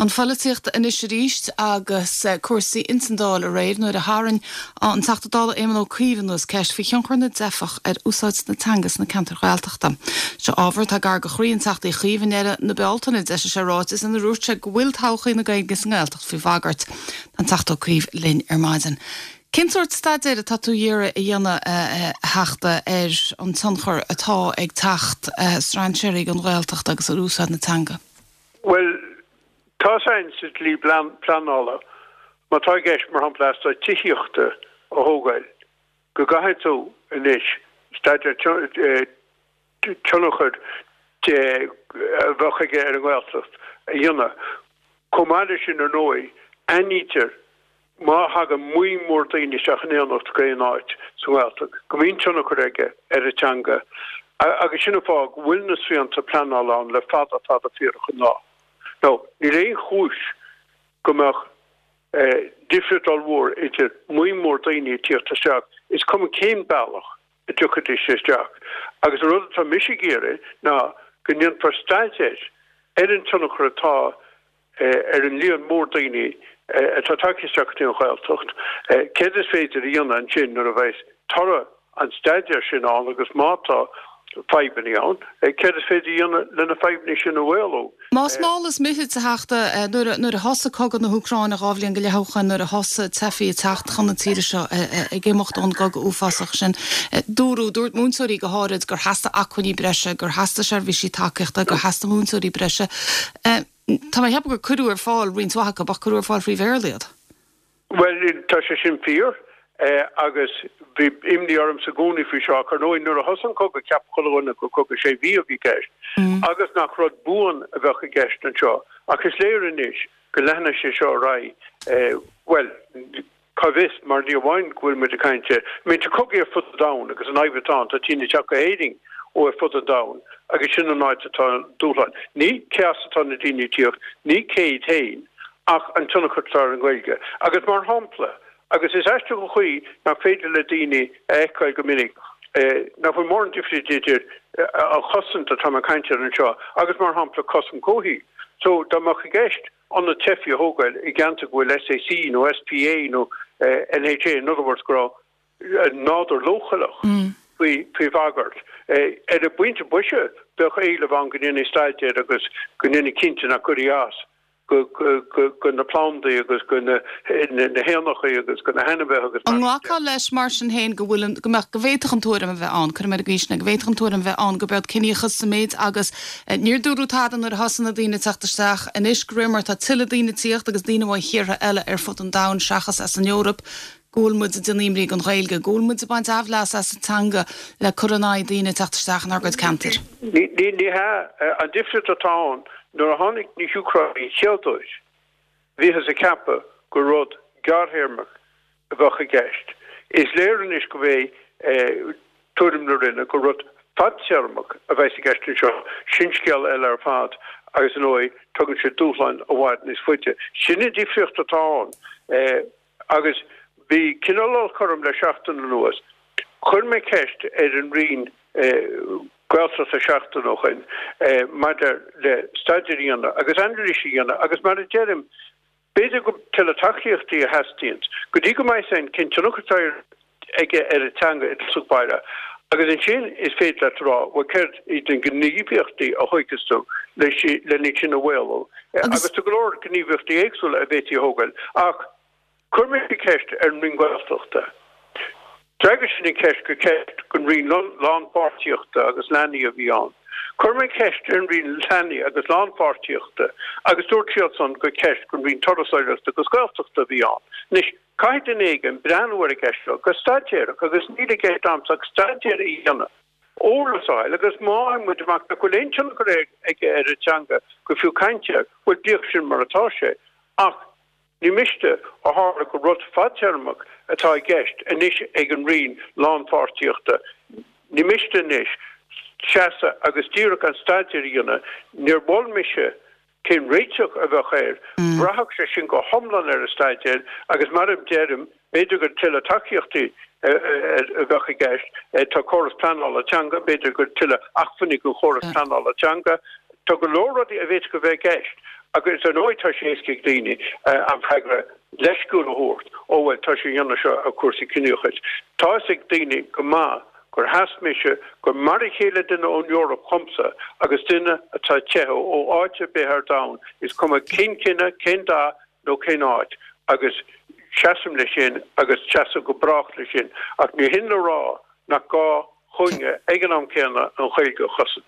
An pholaitíocht anois arís agus cúrsaí ins an Dáil aréir nuair a tharraing an Teachta Dála Éamon Ó Cuív anuas ceist faoi thionchar na dteifeach ar úsáid na teanga sna ceantair Ghaeltachta. Seo ábhar atá gar do chroí an Teachta Uí Chuív. I ndeireadh na Bealtaine d'eisigh sé ráiteas ina ndúirt sé go bhfuil todhchaí na Gaeilge sa nGaeltacht faoi bhagairt. Tá an Teachta Ó Cuív linn ar maidin. Cén sórt staidéir atá tú iarraidh a dhéanamh, a Theachta, ar an tionchar atá ag teacht strainséirí don Ghaeltacht agus ar úsáid na teanga? Bhuel, tá 's againn sa dlí pleanála, má tá i gceist, mar shampla, eastát tithíochta a thógáil, go gcaithfidh tú anois staidéar tionchair a bheadh aige ar an nGaeltacht a dhéanamh. Chomh maith leis sin, ar ndóigh, aithnítear má thagann buíon mór daoine isteach in éineacht go aon áit sa nGaeltacht go mbíonn tionchar aige ar an teanga agus sin an fáth go bhfuil na srianta pleanála ann le fada fada fíorach an lá. Now, níl aon chúis go mbeadh difríocht ollmhór idir buíon mór daoine ag tíocht isteach, is cuma cén bealach a dtiocfaidís isteach. Agus an rud atá mise ag iarraidh ná go ndéanfar staidéar ar an tionchar atá ar an líon mór daoine atá tagtha isteach go dtí an Ghaeltacht, céard is féidir a dhéanamh ansin nuair a bheas toradh an staidéir sin ann agus má tá fadhbanna ann, céard is féidir a dhéanamh le na fadhbanna sin a mhaolú. Más mall is mithid, a Theachta, nuair a thosaigh cogadh na hÚcráine 2 bhliain go leith ó shoin, nuair a thosaigh teifigh ag teacht chun na tíre seo ag imeacht ón gcogadh uafásach sin, dúradh, dúirt múinteoirí go háirid, gur theastaigh acmhainní breise, gur theastaigh seirbhísí tacaíochta, gur theastaigh múinteoirí breise. Tá mé ag ceapadh gur cuireadh ar fáil roinnt mhaith acu, ach cuireadh ar fáil thrí Bhéarla iad. Bhuel, tá sé sin fíor, agus bhí imní ormsa i gcónaí faoi seo, ach ar ndóigh nuair a thosaigh an cogadh cheap chuile dhuine gur cogadh sé mhí a bhí i gceist, agus nach rud buan a bheadh i gceist anseo. Ach is léir anois go leanfaidh sé seo ar aghaidh, bhuel, cá bhfios, mar ní amháin go bhfuil muid ag caint ar, I mean, tá cogaí ar fud an domhain agus an fhadhb atá ann, tá daoine ag teacht go hÉirinn ó ar fud an domhain agus sin an áit atá an dúshlán. Ní cé as atá na daoine ag tíocht, ní cé iad féin, ach an tionchar atá ar an nGaeilge. Agus mar shampla, agus is aisteach an chaoi nach féidir le daoine a fheiceáil go minic, nach bhfuil mórán difríocht idir an chosaint atá mé ag caint air anseo agus mar shampla cosaint comhshaoil. So dá mbeadh i gceist ionad teifigh a thógáil i gceantar go bhfuil SAC nó SPA nó NHA, in other words go raibh nádúr leochaileach faoi bhagairt, ar an bpointe boise bheadh éileamh ann go ndéanfaí staidéar agus go ndéanfaí cinnte nach gcuirfí as go na plandaí agus go na héanachaí agus go na hainmhithe agus mar sin de. An nglacfá leis mar sin féin go bhfuil an, go mbeadh, go bhféadfadh an tuairim a bheith ann, cuirfidh mé ar an gcaoi sin é, go bhféadfadh an tuairim a bheith ann gurb é ciníochas sa méid agus níor dúradh tada nuair a thosaigh na daoine ag teacht isteach, anois de réir mar atá tuilleadh daoine ag tíocht agus daoine ó thíortha eile ar fud an domhain seachas as an Eoraip, go bhfuil muid ag déanamh imní don Ghaeilge, go bhfuil muid ag baint aimhleas as an teanga le cur in aghaidh daoine ag teacht isteach inár gcuid ceantair. Ní hea. An difríocht atá ann, nuair a tháinig na hÚcránaigh an chéad uair, bhíothas ag ceapadh gur rud gearrthéarmach a bheadh i gceist. Is léir anois go bhfé tuairim na Roinne gur rud fadtéarmach a bheas i gceist anseo. Sin scéal eile ar fad agus, ar ndóigh, tugann sé dúshláin i bhfad níos faide. Sin an difríocht atá ann. Agus bhí cineál olc orm le seachtain anuas. Chuir mé ceist ar an Roinn Gaeltachta seachtain ó shoin maidir le staidéar a dhéanamh agus anailís a dhéanamh agus mar a deirim, b'fhéidir gur tuilleadh tacaíochtaí a theastaíonns go dtí go mbeidh fhios againn cén tionchar atá aige ar an teanga i dtosach báire. Agus ansin is féidir leat a rá, bhuel céard iad na gníomhaíochtaí a thógfas tú len iad sin a mhaolú? Agus tá go leor gníomhaíochtaí éagsúla a bhféadfaí a thógáil. Ach chuir mé ceist ar an Roinn Gaeltachta. D'fhreagair sin an cheist gur ceist don Roinn Lánpháirtíochta agus Leanaí a bhí ann. Chuir mé ceist ar an Roinn Leanaí agus Lánpháirtíochta agus dúirt siadsan gur ceist don Roinn Turasóireachta agus Gaeltachta a bhí ann. Anois, Caithfidh duine éigin breathnú ar an gceist seo go staidéarach agus níl i gceist a'msa ach staidéar a dhéanamh, eolas a fháil agus má fhaigheann muid amach nach bhfuil aon tionchar aige ar an teanga gur fiú caint air, bhuel bíodh sin mar atá sé. Ach ní miste, ó tharla gur rud fadtéarmach atá i gceist anois ag an Roinn Lánpháirtíochta, ní miste anois seasamh agus díreach an staidéar a dhéanamh. Níor mhol mise Cén réiteach a bheadh air? Bhraithfeadh sé sin go hiomlán ar an staidéar agus mar a deirim, b'fhéidir gur tuilleadh tacaíochtaí a bheadh i gceist. Tá córas pleanála teanga, b'fhéidir gur tuilleadh acmhainní don chóras pleanála teanga. Tá go leor rudaí a bhféadfadh a bheith i gceist. Agus ar ndóigh tá sé éasca ag daoine an freagra leisciúil a thabhairt, ó bhuel tá sé a dhéanamh seo ar chúrsaí ciníochais. Tá fhios ag daoine go maith gur sheas mise gur mar a chéile duine ón Eoraip dhomsa agus duine atá ag teitheadh ó áit ar bith ar domhan, is cuma cén cine, cén dath nó cén áit, agus seasaim leis sin agus seasfaidh go brách leis sin. Ach ní hin le rá nach gá dhúinne ag an am céanna an Ghaeilge a chosaint.